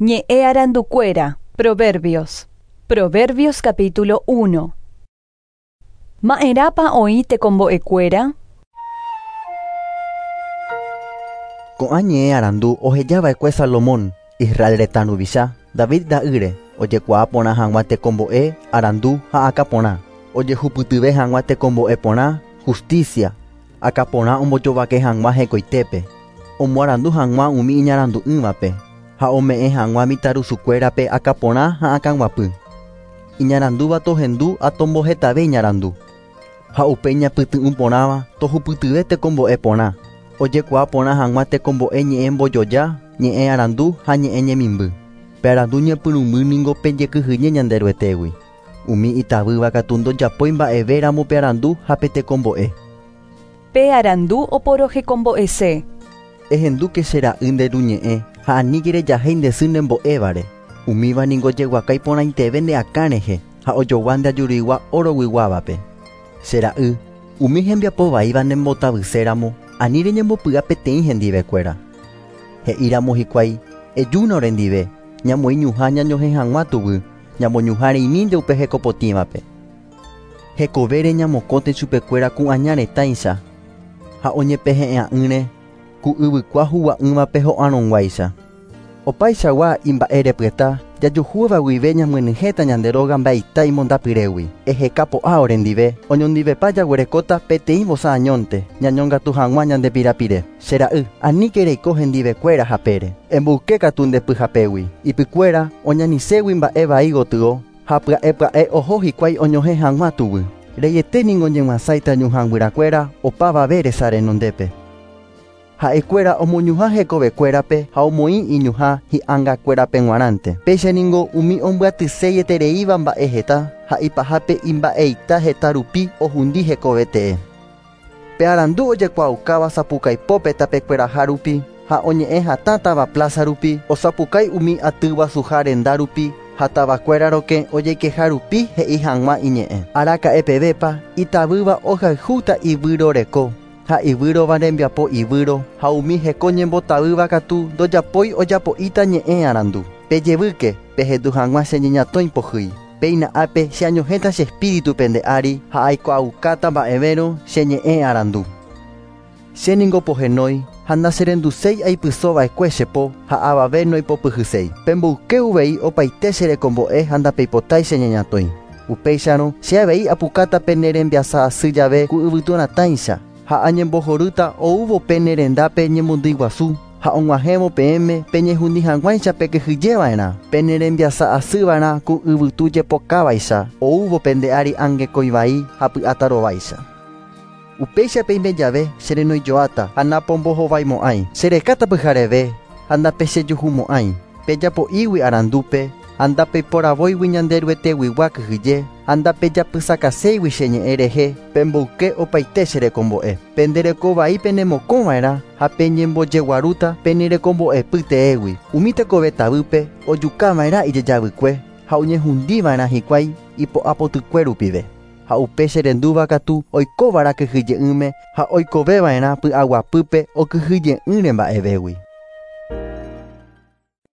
Ñe'ẽ arandukuéra, Proverbios. Proverbios capítulo 1. Ma'erãpa oĩ tekombo'ekuéra? Ko'ã ñe'ẽ arandu ohejava'ekue Salomón, Israel retã ruvicha, David ra'ýre, ojekuaa porã hag̃ua tekombo'e, arandu ha akãporã, ojehupytyve hag̃ua tekombo'e porã, justicia, akãporã ombojovake hag̃ua hekoitépe, omoarandu hag̃ua umi iñarandu'ỹvape ha ome'ẽ hag̃ua mitãrusukuérape akãporã ha akãguapy. Iñarandúva tohendu ha tombohetave iñarandu. Ha upe iñapyty'ũ porãva tohupytyve tekombo'e porã, ojekuaa porã hag̃ua tekombo'e ñe'ẽ mbojoja, ñe'ẽ arandu ha ñe'ẽ ñemimby. Pe arandu ñepyrũmby ningo pe jekyhyje Ñanderuetégui. Umi itavýva katu ndojapói mba'evéramo pe arandu ha pe tekombo'e. Pe arandu oporohekombo'ese. Ehendúke che ra'y nde ru ñe'ẽ ha aníke rejahéi nde sy nembo'évare. Umíva ningo jeguaka iporãiteve ne akã rehe ha ojogua nde ajurigua oroguiguávape. Che ra'y, umi hembiapo vaíva nembotavyséramo, ani reñembopy'a peteĩ hendivekuéra. He'íramo hikuái, Ejúna orendive, ñamoĩ ñuhã ñañohẽ hag̃ua tuguy, ñamoñuhã reimínte upe hekopotĩvape. Hekovére ñamokõte chupekuéra ku aña retãicha ha oñepehe'ẽ'ỹre ku yvykua hugua'ỹvape ho'arõguáicha. Opaichagua imba'erepyeta jajuhúva guive ñamyenyhẽta ñande róga mba'eita imondapyrégui. Eheka po'a orendive, oñondivepa jaguerekóta peteĩ vosa añónte, ñañongatu hag̃ua ñande pirapire. Che ra'y, aníke reiko hendivekuéra hapére. Emboyke katu nde pyhapégui. Ipykuéra oñaniségui mba'e vai gotyo ha pya'e pya'e oho hikuái oñohẽ hag̃ua tuguy. Reiete ningo ñemyasãita ñuhãguyrakuéra opavave resa renondépe. Ha'ekuéra omoñuhã hekovekuérape ha omoĩ iñuhã hi'angakuérape g̃uarãnte. Péicha ningo umi ombyatyseietereíva mba'e heta ha ipahápe imba'eita heta rupi ohundi hekovetee. Pe arandu ojekuaaukáva sapukaipópe tapekueraha rupi ha oñe'ẽ hatãtava plaza rupi, osapukái umi aty guasuha renda rupi ha tavakuéra rokẽ ojeikeha rupi he'i hag̃ua iñe'ẽ. Araka'epevépa itavýva ohayhúta ivýroreko ha ivýrova rembiapo ivýro ha umi heko ñembotavýva katu ndojapói ojapo'íta ñe'ẽ arandu. Pejevýke pehendu hag̃ua che ñeñatõi pohýi. Péina ápe che añohẽta che espíritu pende ári ha aikuaaukáta mba'evérõ che ñe'ẽ arandu. Che ningo pohenói ha ndacherenduséi aipysova'ekue che po ha avave noipopyhyséi. Pemboyke uvei opaite che rekombo'e ha ndapeipotái che ñeñatõi. Upéicharõ che avei apukáta pene rembiasa asy jave ku yvyturatãicha ha añembohorýta oúvo pene rendápe ñemondýi guasu ha og̃uahẽvo peẽme peñehundi hag̃uáicha pekyhyjeva'erã. Pene rembiasa asýva'erã ku yvytu jepokávaicha oúvo pende ári angekõivai ha py'atarováicha. Upéicha peime jave cherenoijoáta ha napombohovaimo'ãi. Cherekáta pyhareve ha ndapechejuhumo'ãi. Pejapo'ígui arandúpe ha ndapeiporavóigui Ñanderueteguigua kyhyje ha ndapejapysakaséigui che ñe'ẽ rehe pemboyke opaite che rekombo'e. Pende rekovai penemokõva'erã ha peñembojeguarúta pene rekombo'epy teégui. Umi tekove tavýpe ojukava'erã ijejavykue ha oñehundiva'erã hikuái ipo'apotykue rupive. Ha upe cherendúva katu oikóva'erã kyhyje'ỹme ha oikoveva'erã py'aguapýpe okyhyje'ỹre mba'evégui.